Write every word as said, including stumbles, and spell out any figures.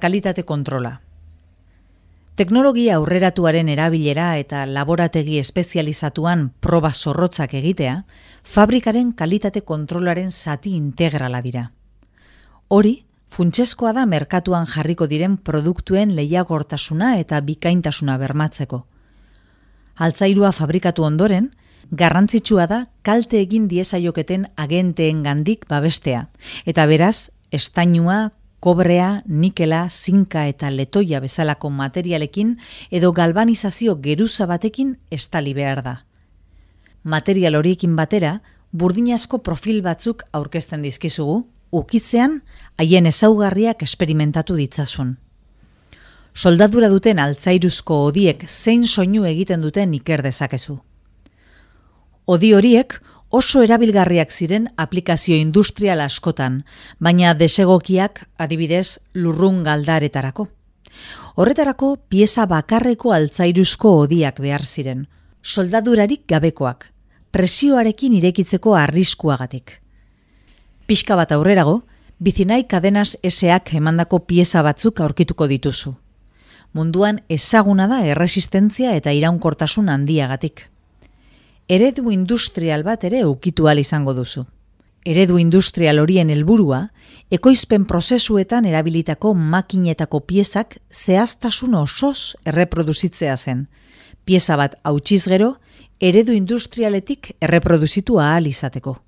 kalitate kontrola. Teknologia aurreratuaren erabilera eta laborategi espezializatuan proba zorrotzak egitea, fabrikaren kalitate kontrolaren zati integrala dira. Hori, funtsezkoa da merkatuan jarriko diren produktuen lehiagortasuna eta bikaintasuna bermatzeko. Altzairua fabrikatu ondoren, garrantzitsua da kalte egin diezaioketen agenteen gandik babestea, eta beraz, estainua, kobrea, nikela, zinka eta letoia bezalako materialekin edo galbanizazio geruza batekin estali behar da. Material horiekin batera, burdinazko profil batzuk aurkezten dizkizugu, ukitzean haien ezaugarriak esperimentatu ditzazun. Soldadura duten altzairuzko hodiek zein soinu egiten duten iker dezakezu. Hodi horiek oso erabilgarriak ziren aplikazio industrial askotan, baina desegokiak adibidez lurrun galdaretarako. Horretarako pieza bakarreko altzairuzko hodiak behar ziren, soldadurarik gabekoak, presioarekin irekitzeko arriskuagatik. Pixka bat aurrerago, Bizinai Cadenas S Ak emandako pieza batzuk aurkituko dituzu. Munduan ezaguna da erresistentzia eta iraunkortasun handiagatik. Eredu industrial bat ere ukitu ahal izango duzu. Eredu industrial horien helburua, ekoizpen prozesuetan erabilitako makinetako piezak zehaztasun osoz erreproduzitzea zen. Pieza bat hautsiz gero, eredu industrialetik erreproduzitu ahal izateko.